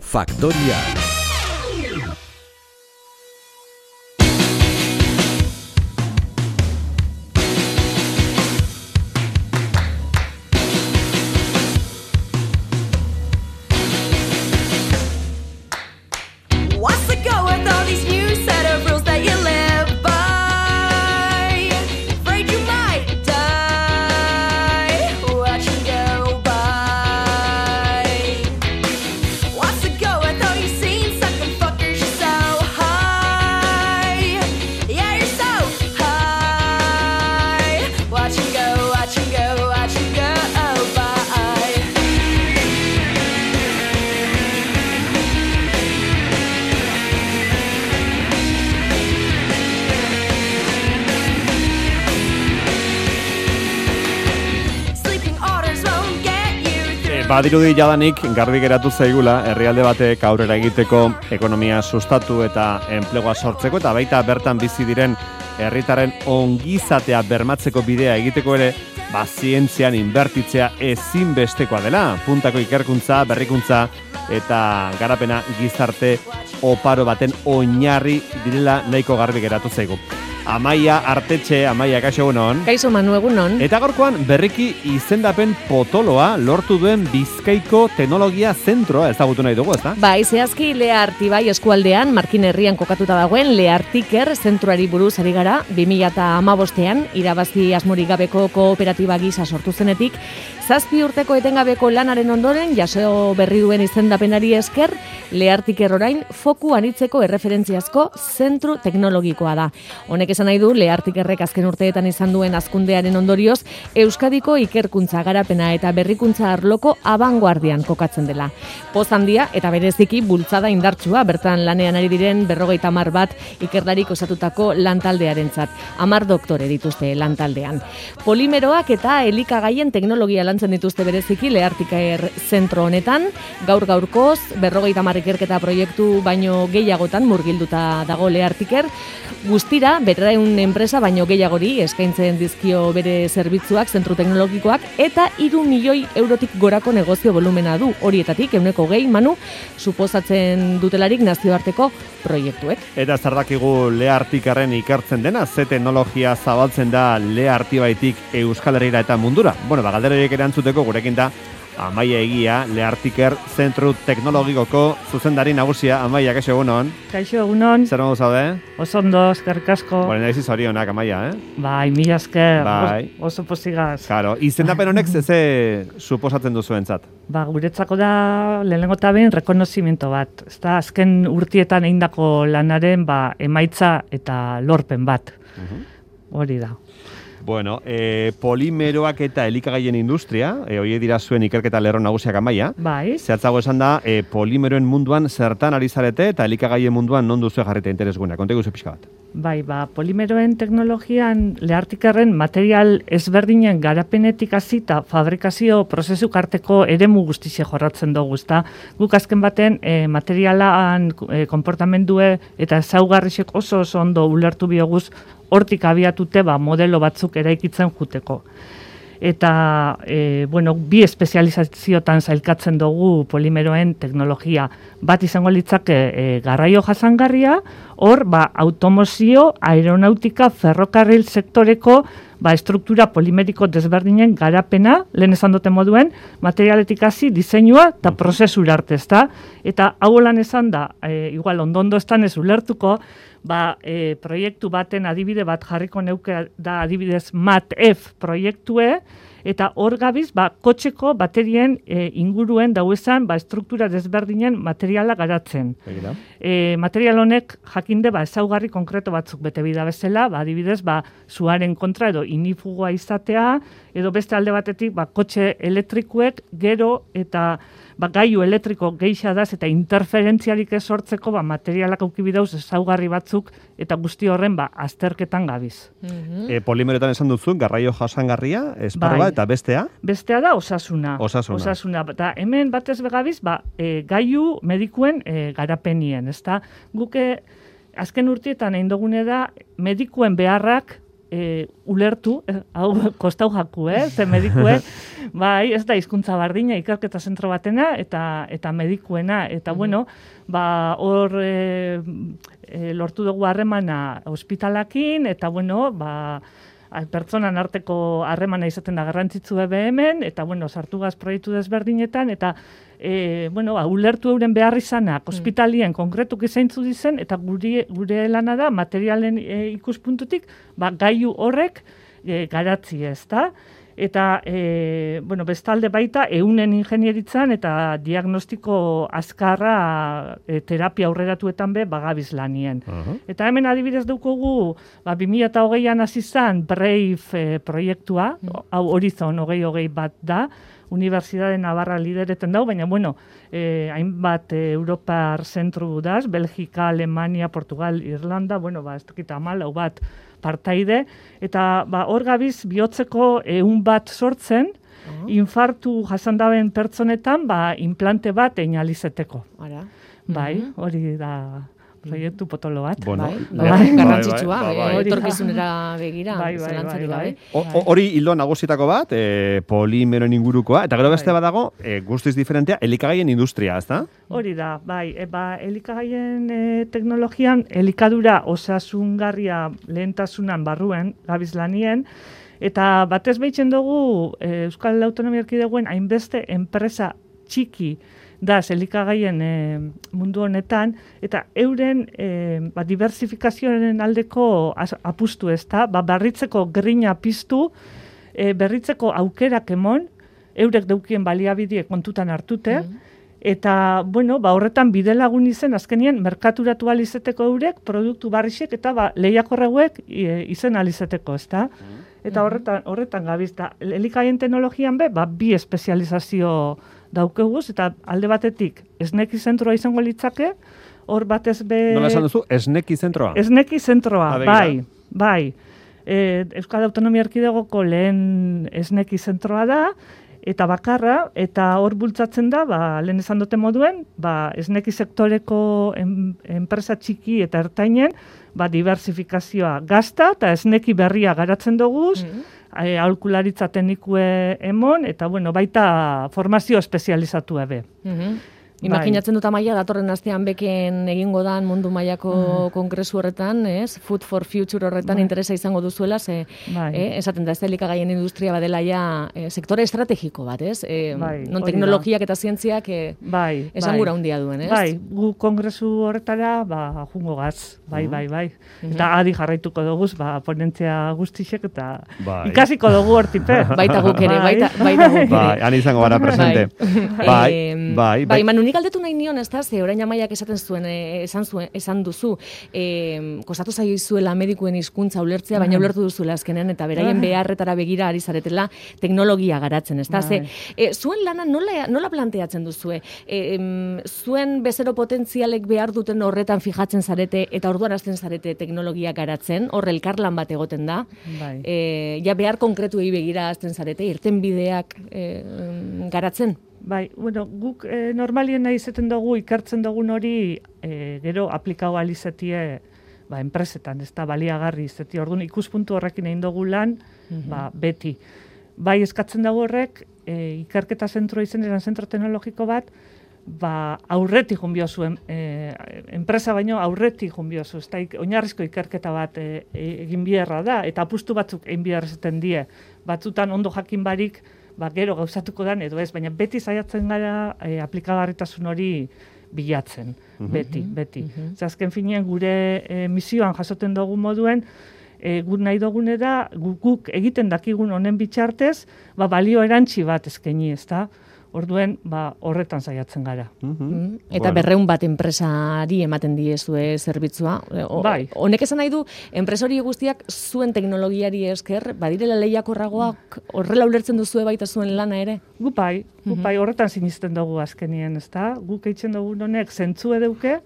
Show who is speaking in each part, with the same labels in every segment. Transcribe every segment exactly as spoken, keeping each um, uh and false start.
Speaker 1: Faktoria.
Speaker 2: Badirudi jadanik garbi geratu zaigula herrialde batek aurrera egiteko, ekonomia sustatu eta enplegua sortzeko eta baita bertan bizi diren herritarren ongizatea bermatzeko bidea egiteko ere, ba zientzian inbertitzea ezinbestekoa dela. Puntako ikerkuntza, berrikuntza eta garapena gizarte oparo baten oinarri direla nahiko garbi geratu zaigu. Amaia Artetxe, Amaia, kaixo egunon.
Speaker 3: Kaixo Manu, egunon.
Speaker 2: Eta gaurkoan berriki izendapen potoloa lortu duen Bizkaiko Teknologia Zentroa ezagutu nahi dugu, ezta?
Speaker 3: Bai, zehazki Lea Artibai eskualdean, Markin herrian kokatuta dagoen Lea Artiker zentroari buruz ari gara, bi mila hamabostean irabazi asmorik gabeko kooperatiba gisa sortu zenetik, zazpi urteko etengabeko lanaren ondoren, jaso berri duen izendapenari esker, Lea Artiker orain foku anitzeko erreferentziazko zentru teknologikoa da. Honek esan nahi du, Lea Artikerrek azken urteetan izan duen hazkundearen ondorioz, Euskadiko ikerkuntza garapena eta berrikuntza arloko abanguardian kokatzen dela. Poz handia eta bereziki bultzada indartsua, bertan lanean ari diren berrogeita hamar bat ikerlarik osatutako lantaldearentzat. Hamar doktore dituzte lantaldean. Polimeroak eta elikagaien teknologia lantzen dituzte bereziki Lea Artiker zentro honetan, gaur gaurkoz berrogeita hamar ikerketa proiektu baino gehiagotan murgilduta dago Lea Artiker, guztira berrehun enpresa baino gehiagori eskaintzen dizkio bere zerbitzuak zentru teknologikoak eta hiru milioi eurotik gorako negozio volumena du. Horietatik ehuneko gehi Manu suposatzen dutelarik nazioarteko proiektuek.
Speaker 2: Eta zer dakigu Lea Artikerren ikertzen dena, ze teknologia zabaltzen da Lea Artibaitik Euskal Herrira eta mundura? Bueno, ba galderaiek erantzuteko gurekin da Amaia Egia, Lea Artiker Zentru Teknologikoko zuzendari nagusia. Amaia, kaixo egunon.
Speaker 4: Kaixo egunon.
Speaker 2: Zer modu zaude?
Speaker 4: Oso ondo, eskerrik asko.
Speaker 2: Bueno, nahiz zorionak, Amaia, eh?
Speaker 4: Bai, mila esker.
Speaker 2: Bai.
Speaker 4: Oso pozigaz.
Speaker 2: Claro, izendapen honek ze suposatzen duzuentzat?
Speaker 4: Ba, guretzako da lehenengo eta behin rekonozimiento bat. Ezta azken urtietan egindako lanaren ba emaitza eta lorpen bat. Uh-huh. Hori da.
Speaker 2: Bueno, e, polimeroak eta elikagaien industria, e, horiek dira zuen ikerketa lerro nagusiak Amaia.
Speaker 4: Bai.
Speaker 2: Zehatzago esan da, e, polimeroen munduan zertan ari zarete eta elikagaien munduan non duzu jarrita interesguena. Kontegu zu pixka bat.
Speaker 4: Bai, ba, polimeroen teknologian Lea Artikerren material ezberdinen garapenetik hasi eta fabrikazio prozesu arteko eremu guztixe jorratzen dugu, ezta? Guk azken baten e, materialan e, konportamendue eta ezaugarrisek oso oso ondo ulertu bioguz hortik abiatute ba, modelo batzuk eraikitzen juteko. Eta, e, bueno, bi espezializaziotan zailkatzen dugu polimeroen teknologia. Bat izango litzake e, garraio jasangarria, hor, ba, automozio, aeronautika, ferrokarril sektoreko ba, estruktura polimeriko desberdinen garapena, lehen esan dute moduen, materialetik hasi, diseinua eta prozesura arte, ezta? Eta hau lan esan da, e, igual ondo-ondo estan ez ulertuko, ba, e, proiektu baten adibide bat jarriko neuke da adibidez MAT-F proiektue, eta hor gabiz, ba, kotxeko baterien e, inguruen dauezan ba, estruktura desberdinen materiala garatzen. E, material honek jakinde ba, ezaugarri konkreto batzuk bete bida bezala, ba, adibidez, ba, zuaren kontra edo inifugua izatea, edo beste alde batetik ba, kotxe elektrikuek gero eta ba, gailu elektriko geixadaz eta interferentzialik ez sortzeko ba, materialak aukibidauz ezaugarri batzuk eta guzti horren ba, azterketan gabiz.
Speaker 3: Mm-hmm.
Speaker 2: E, polimeroetan esan duzu, garraio jasangarria, esparroa
Speaker 4: bai.
Speaker 2: Eta bestea?
Speaker 4: Bestea da osasuna.
Speaker 2: Osasuna.
Speaker 4: Osasuna. Eta hemen batez begabiz, ba, e, gailu medikuen e, garapenien. Ezta? Guke azken urtietan egin dugune da medikuen beharrak e, ulertu, eh, hau kostau jaku, eh, ze medikue, bai, ez da hizkuntza bardina, ikerketa zentro batena, eta eta medikuena, eta mm-hmm. bueno, ba, hor e, e, lortu dugu harremana ospitalakin, eta bueno, ba, pertsonan arteko harremana izaten da garrantzitsu ebe hemen, eta bueno, sartu gaz proiektu desberdinetan, eta e, bueno, ba, ulertu euren behar izanak, ospitalien konkretuk izaintzu dizen, eta gure, gure lana da, materialen e, ikuspuntutik, ba, gailu horrek e, garatzi ez da, eta e, bueno, bestalde baita eunen ingenieritzan eta diagnostiko azkarra e, terapia aurreratuetan be bagabiz lanien. Uh-huh. Eta hemen adibidez daukogu, ba, bi mila hogeian hasi zen Brave e, proiektua, uh-huh. hau Horizon hogei hogei bat da, Unibertsitate Navarra lidereten dau, baina bueno, eh, hainbat eh, Europar zentru daz, Belgika, Alemania, Portugal, Irlanda, bueno, ba, ez dakit amalau bat partaide, eta ba, hor gabiz bihotzeko ehun bat sortzen, uh-huh. infartu jasandaben pertsonetan, ba, implante bat egin alizeteko.
Speaker 3: Ara.
Speaker 4: Bai, hori da proiektu potolo bat.
Speaker 2: Bueno,
Speaker 3: bai, bai, garrantzitsua,
Speaker 2: bai, bai, bai.
Speaker 3: etorkizunera begira,
Speaker 4: bai, bai,
Speaker 3: zelantzarik
Speaker 4: bai,
Speaker 3: gabe.
Speaker 2: Hori hildo nagusitako bat, e, polimeroen ingurukoa, eta gero beste badago, e, guztiz diferentea, elikagaien industria, ezta?
Speaker 4: Hori da, bai, e, ba, elikagaien e, teknologian, elikadura osasungarria lehentasunan barruen, gabiz lanien, eta batez behitzen dugu e, Euskal Autonomia Erkidegoen hainbeste enpresa txiki da elikagaien e, mundu honetan, eta euren e, ba, diversifikazioaren aldeko az, apustu ez da, ba, berritzeko grina piztu, e, berritzeko aukerak emon, eurek daukien baliabidie kontutan hartute, mm. eta, bueno, ba, horretan bide lagun izen, azkenien, merkaturatu alizeteko eurek, produktu barrixek, eta ba, lehiakorreuek e, izen alizeteko, ez da? Mm. Eta horretan, horretan gabiz da, elikagaien teknologian be, ba, bi espezializazio daukeguz, eta alde batetik esneki zentroa izango litzake, hor batez be...
Speaker 2: Nola esan duzu, esneki zentroa?
Speaker 4: Esneki zentroa, bai, bai. E, Euskal Autonomia Erkidegoko lehen esneki zentroa da, eta bakarra, eta hor bultzatzen da, ba, lehen esan dute moduen, ba, esneki sektoreko en, enpresa txiki eta ertainen, ba, diversifikazioa gazta, eta esneki berria garatzen duguz, mm-hmm. aholkularitza teknikue emon, eta bueno, baita formazio espezializatu ebe.
Speaker 3: Mm-hmm. Imaginatzen dut Amaia, datorren astean beken egingo dan mundu mailako mm. kongresu horretan, ez? Food for Future horretan bai. Interesa izango duzuela, ze, bai. eh, esaten da, ez da elikagaien industria badela ja eh, sektore estrategiko bat, ez? Eh, bai, non teknologiak eta zientziak eh,
Speaker 4: bai,
Speaker 3: esan
Speaker 4: bai.
Speaker 3: gura handia duen, ez?
Speaker 4: Bai, gu kongresu horretara, ba, jungo gaz, bai, mm. bai, bai. Mm-hmm. Eta adi jarraituko duguz, ba, ponentzia guztixek, eta bai. Ikasiko dugu hortipe.
Speaker 3: Baita guk ere, baita, baita guk ere.
Speaker 2: Bai, han izango gara presente.
Speaker 3: Bai,
Speaker 2: bai, bai.
Speaker 3: bai, Manu, nik galdetu nahi nion, ez da, ze orain Amaiak esaten zuen, eh, esan, zuen, esan duzu, eh, kostatu zaio izuela medikuen hizkuntza ulertzea, baina ulertu duzuela azkenean, eta beraien beharretara begira ari zaretela teknologia garatzen, ez da, ze, eh, zuen lana nola, nola planteatzen duzue? Eh, zuen bezero potentzialek behar duten horretan fijatzen zarete, eta orduan hasten zarete teknologia garatzen, horre elkarlan bat egoten da, bai. eh, ja behar konkretuei begira hasten zarete, irten bideak eh, garatzen?
Speaker 4: Bai, bueno, guk e, normalien nahi izaten dugu, ikertzen dugun hori, e, gero aplikau alizetie, ba, enpresetan, ez da, baliagarri izatie. Orduan, ikuspuntu horrekin egin dugu lan, mm-hmm. ba, beti. Bai, eskatzen dago horrek, e, ikerketa zentro izen, eran zentro teknologiko bat, ba, aurretik junbio zuen, e, enpresa baino aurretik junbio zu, ez da, oinarrizko ikerketa bat e, egin biherra da, eta apustu batzuk egin biherra zaten die. Batzutan ondo jakin barik, ba, gero gauzatuko dan, edo ez, baina beti saiatzen gara e, aplikagarritasun hori bilatzen, mm-hmm. beti, beti. Mm-hmm. Azken finean gure e, misioan jasoten dugu moduen, e, guk nahi dugune da, guk, guk egiten dakigun honen bitxartez, ba, balio erantzi bat eskaini, ez da? Orduen, ba, horretan saiatzen gara.
Speaker 3: Mm-hmm. Eta bueno. Berreun bat enpresari ematen diezue zerbitzua. O, bai. Honek esan nahi du, enpresari guztiak zuen teknologiari esker, badirela lehiakorragoak horrela ulertzen duzue baita zuen lana ere?
Speaker 4: Gupai, gupai, horretan sinisten dugu azkenien, ez da? Guk eitzen dugu honek zentzu edeuke,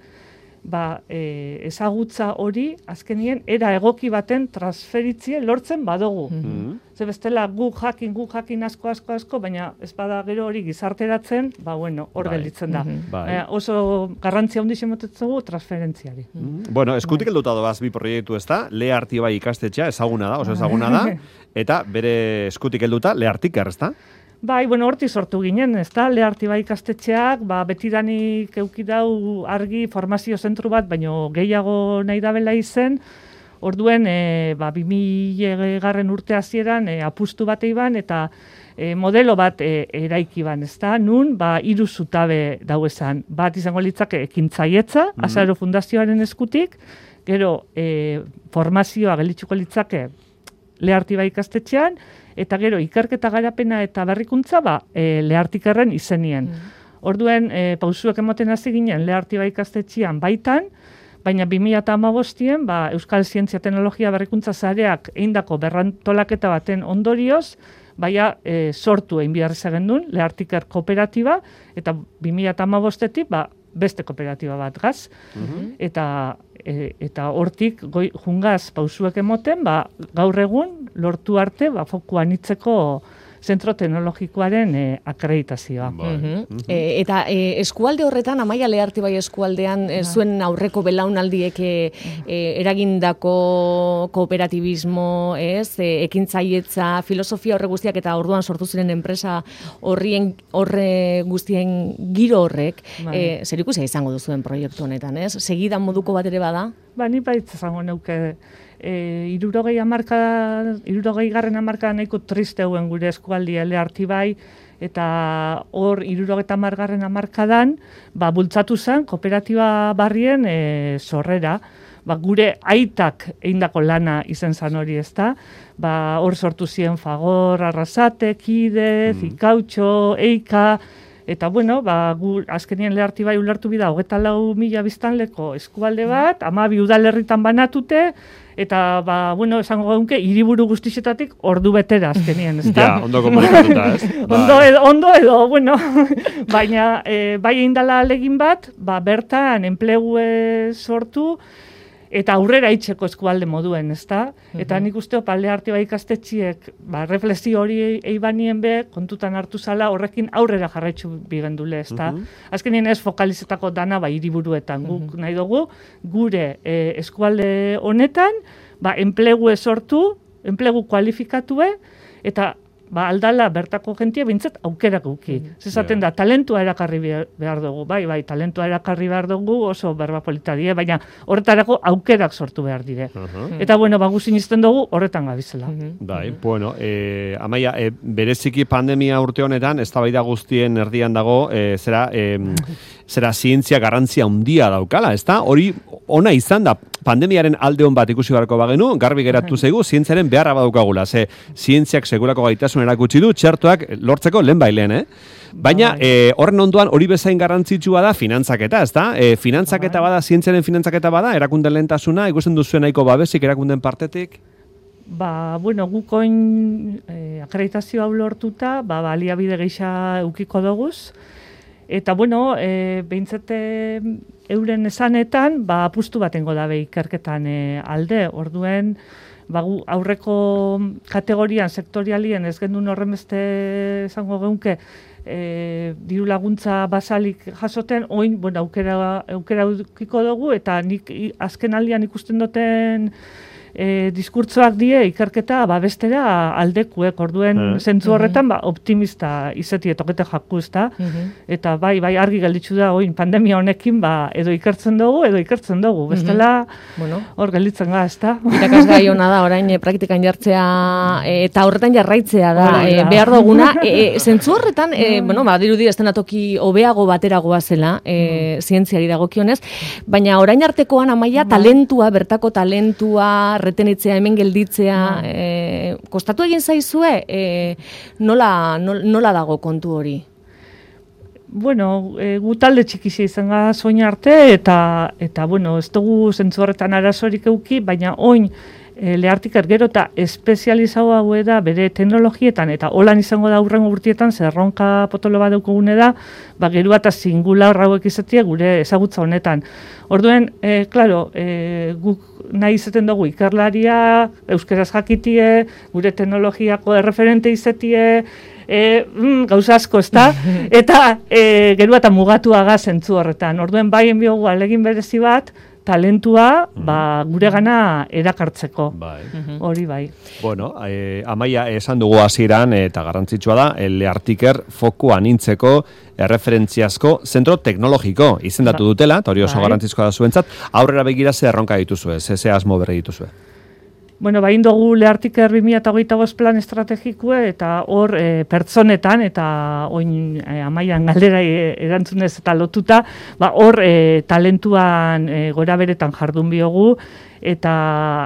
Speaker 4: ba, e, ezagutza hori azkenien era egoki baten transferitzie lortzen badugu.
Speaker 2: Mm-hmm.
Speaker 4: Ze bestela gu jakin, gu jakin asko, asko, asko, baina ez bada gero hori gizarteratzen, ba bueno, hor
Speaker 2: Bai.
Speaker 4: gelditzen da.
Speaker 2: Bai.
Speaker 4: Baina oso garrantzia handiz emotetzen dugu transferentziari.
Speaker 2: Mm. Bueno, eskutik helduta doaz bi proiektu ez da, Leartibai ikastetxea ezaguna da, oso ezaguna da, eta bere eskutik helduta Leartiker, ez da?
Speaker 4: Bai, bueno, horti sortu ginen, ez da, Leartibai ikastetxeak, ba, betidanik eukidau argi formazio zentru bat, baino gehiago nahi dabela izen, orduen, e, ba, bi mila garren urte hasieran e, apustu bat eiban, eta e, modelo bat e, eraiki ban, ez da, nun, ba, hiru zutabe dauezan, bat izango litzake ekintzaietza, mm-hmm. Azaro Fundazioaren eskutik, gero e, formazioa gelitzuko litzake Leartibai ikastetxean, eta gero ikerketa garapena eta berrikuntza ba, e, Leartikerren izenien. Mm. Orduen, e, pausuak emoten hasi ginen Leartibai ikastetxean baitan, baina bi mila hamabostien ba, Euskal Zientzia Teknologia Berrikuntza Sareak eindako berrantolaketa baten ondorioz, baina e, sortu egin behar gendun Leartiker kooperatiba, eta bi mila hamabostetik ba, beste kooperatiba bat gaz, mm-hmm. eta E, eta hortik goi, jungaz pausuek emoten, ba, gaur egun lortu arte ba, fokuan itzeko zentro teknologikoaren e, akreditazioa.
Speaker 3: Mm-hmm. e, eta e, eskualde horretan, Amaia Leartibai eskualdean, e, zuen aurreko belaunaldiek e, e, eragindako kooperatibismo, ez, e, ekintzaietza, filosofia horre guztiak eta orduan sortu ziren enpresa horrien horre guztien giro horrek, e, zer ikusia izango duzuen proiektu honetan, ez? Segidan moduko bat ere bada?
Speaker 4: Ba, ni baitz izango neuke, e, irurogei amarka, irurogei garren amarka nahiko triste hauen gure eskualdia Leartibai, eta hor irurogeta margarren amarkadan, ba, bultzatu zen kooperatiba barrien e, sorrera, ba, gure aitak eindako lana izen zan hori, ezta? Ba, hor sortu ziren Fagor, Arrasate, Kide, mm. Zikautxo, Eika, eta bueno, ba, gu azkenien Leartibai ulertu bida, hogeta lau mila biztanleko eskualde bat, hamabi udalerritan banatute, eta, ba, bueno, esango gaunke, hiriburu guztixetatik ordu betera azkenien, ez da?
Speaker 2: Ja, ondo komunikatuta, ez?
Speaker 4: ondo, edo, ondo edo, bueno, baina, e, bai eindala alegin bat, ba, bertan enplegue sortu, eta aurrera itxeko eskualde moduen, ezta? Eta nik uste pa Leartibai ikastetxiek, ba, reflexio hori eibanien be, kontutan hartu zala, horrekin aurrera jarraitzu bigendule, ezta? Azkenien ez fokalizetako dana, ba, hiriburuetan, guk nahi dugu, gure e, eskualde honetan, ba, enplegue sortu, enplegu kualifikatue, eta ba, aldala bertako jentia bintzat aukerak uki. Mm. Zezaten da, talentua erakarri behar dugu, bai, bai, talentua erakarri behar dugu oso berba polita die, baina horretarako aukerak sortu behar dire. Uh-huh. Eta, bueno, ba, guzin izten dugu horretan gabizela. Uh-huh.
Speaker 2: Bai, bueno, eh, Amaia, eh, bereziki pandemia urte honetan, eztabaida guztien erdian dago, eh, zera, eh, zera zientzia garrantzia handia daukala, ezta? Hori ona izan da, pandemiaren alde hon bat ikusi beharko bagenu, garbi geratu zaigu, zientziaren beharra badaukagula, ze zientziak segurako gaitasun erakutsi du, txertoak lortzeko lehen bailen, eh? Baina, eh, horren ondoan hori bezain garrantzitsua da finantzaketa, ez da? Eh, finantzaketa bada, zientziaren finantzaketa bada, erakunden lehentasuna, ikusten duzuen nahiko babesik erakunden partetik?
Speaker 4: Ba, bueno, gukoin eh, akreditazio hau lortuta, ba, baliabide geixa eukiko doguz, eta, bueno, e, behintzete euren esanetan, ba, apustu batengo dabe ikerketan e, alde, orduen, ba, aurreko kategorian, sektorialien, ez gendun horren beste esango geunke, e, diru laguntza basalik jasoten, oin, bueno, aukera, aukera eukiko dugu, eta nik azken aldian ikusten duten E, diskurtzoak die ikerketa babestera aldekuek, orduen mm. zentzu horretan ba, optimista izeti etokete jaku, ezta? Mm-hmm. Eta bai, bai argi gelditzu da oin pandemia honekin ba, edo ikertzen dugu, edo ikertzen dugu, bestela mm-hmm. bueno, hor gelditzen ga, ezta?
Speaker 3: Irakasgai ona da, orain e, praktikan jartzea e, eta horretan jarraitzea da, e, behar duguna, e, zentzu horretan, e, bueno, ba, dirudi estenatoki hobeago bateragoa zela, e, mm. zientziari dagokionez, baina orain artekoan Amaia talentua, bertako talentua, retenitzea, hemen gelditzea, no. e, kostatu egin zaizue, e, nola, nola, nola dago kontu hori?
Speaker 4: Bueno, e, gu talde txikizia izan soin arte, eta, eta bueno, ez dugu zentzu horretan arazorik euki, baina oin e, Lehartiker gero eta espezializau hau da bere teknologietan, eta holan izango da hurrengo urtietan, zerronka potolo bat daukagune da, ba, gero eta singular hauek izatea gure ezagutza honetan. Orduen, e, klaro, e, guk nahi izaten dugu ikerlaria, euskeraz jakitie, gure teknologiako erreferente izatie, e, mm, gauza asko, ezta? Eta e, gero eta mugatuaga zentzu horretan. Orduen, bai enbiogu alegin berezi bat, talentua ba, gure gana erakartzeko.
Speaker 2: Bai.
Speaker 4: Hori bai.
Speaker 2: Bueno, eh, Amaia, esan dugu hasieran eta garrantzitsua da, Lehartiker foku anintzeko erreferentziazko zentro teknologiko izendatu dutela, eta hori oso
Speaker 4: Bai.
Speaker 2: garrantzizkoa da zuentzat, aurrera begira ze erronka dituzue, ze ze asmo berri dituzue.
Speaker 4: Bueno, bain dugu Lehartiker bi mila hogeita bost plan estrategikue, eta hor e, pertsonetan, eta oin e, Amaian galdera e, erantzunez eta lotuta, ba, hor e, talentuan e, gora beretan jardun biogu, eta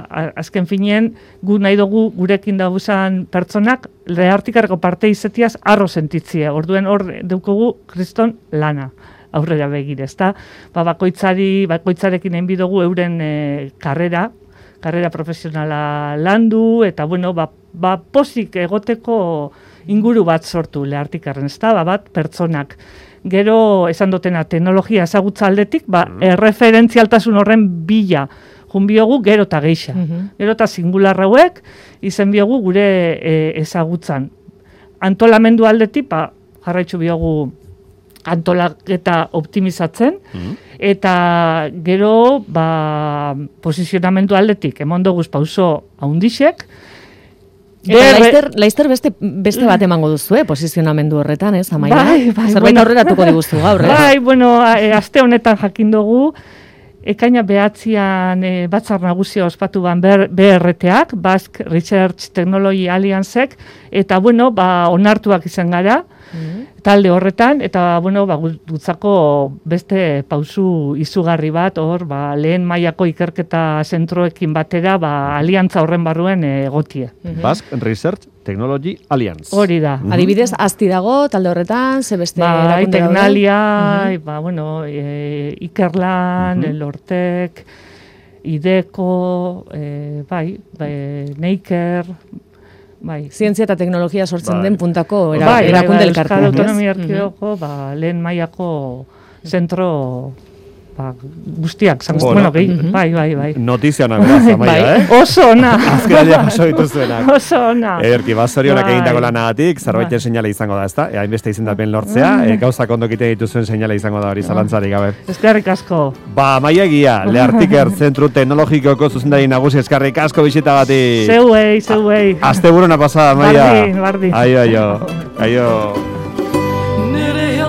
Speaker 4: a, azken finien gu nahi dugu gurekin dauzan pertsonak Lehartikerko parte izetiaz arro sentitzie. Orduen hor dukugu kriston lana aurrera begire, ezta? Ba, bakoitzari, bakoitzarekin egin bidugu euren e, karrera, karrera profesionala landu, eta bueno, ba, ba pozik egoteko inguru bat sortu Lehartikerren, ezta? Ba, bat pertsonak. Gero esan dutena teknologia ezagutza aldetik, ba, mm. erreferentzialtasun horren bila junbiogu gero eta geixa. Mm-hmm. Gero eta singular hauek izen biogu gure e, ezagutzan. Antolamendu aldetik, ba, jarraitzu biogu antolaketa optimizatzen, mm. eta gero ba, posizionamendu aldetik, emon doguz pauso haundixek.
Speaker 3: Eta laizter, laizter beste, beste bat emango duzu, eh, posizionamendu horretan, ez, Amaia?
Speaker 4: Bai, bai,
Speaker 3: zerbait
Speaker 4: bueno.
Speaker 3: aurreratuko diguztu gaur, eh?
Speaker 4: Bai, bueno, e, aste honetan jakin dugu, ekaina behatzian e, batzar nagusia ospatu ban B R T-ak, Basque Research Technology Alliancek, eta bueno, ba, onartuak izan gara, mm-hmm. talde horretan, eta bueno, ba, gutzako beste pausu izugarri bat, hor, ba, lehen mailako ikerketa zentroekin batera, ba, aliantza horren barruen egotie.
Speaker 2: Mm-hmm. Basque Research Technology Alliance.
Speaker 4: Hori da.
Speaker 3: Mm-hmm. Adibidez, asti dago, talde horretan, ze beste
Speaker 4: ba,
Speaker 3: erakunde daude?
Speaker 4: Tecnalia,
Speaker 3: Mm-hmm.
Speaker 4: ba, bueno, e, Ikerlan, mm-hmm. Elortek, Ideko, e, bai, bai, Neiker, bai.
Speaker 3: Zientzia eta teknologia sortzen
Speaker 2: bai.
Speaker 3: den puntako era,
Speaker 4: bai,
Speaker 3: erakunde
Speaker 4: bai, bai,
Speaker 3: elkartea.
Speaker 4: Euskal Autonomia Erkidegoko, ba, lehen mailako zentro ba, guztiak, zango,
Speaker 2: Bueno,
Speaker 4: bueno, gehi,
Speaker 3: mhm.
Speaker 4: bai, bai, bai.
Speaker 2: Notizia ona beraz, Amaia,
Speaker 3: Bai.
Speaker 2: eh?
Speaker 4: Oso ona.
Speaker 2: Azkenalia paso dituzuenak.
Speaker 4: Oso ona.
Speaker 2: Ederki, bazorionak
Speaker 4: Bai.
Speaker 2: egindako lanagatik, zerbait
Speaker 4: Bai.
Speaker 2: seinale izango da, ezta? E, hainbeste izendapen lortzea, e, gauzak ondo egiten dituzuen seinale izango da hori zalantzarik gabe.
Speaker 4: Eskerrik asko.
Speaker 2: Ba, Amaia egia, Lehartiker Zentru Teknologikoko zuzendari nagusi eskerrik asko bisitagatik.
Speaker 4: Zeuei, zeuei.
Speaker 2: Asteburuna pasada, Amaia.
Speaker 4: Bardin, bardin.
Speaker 2: Aio, aio. Aio.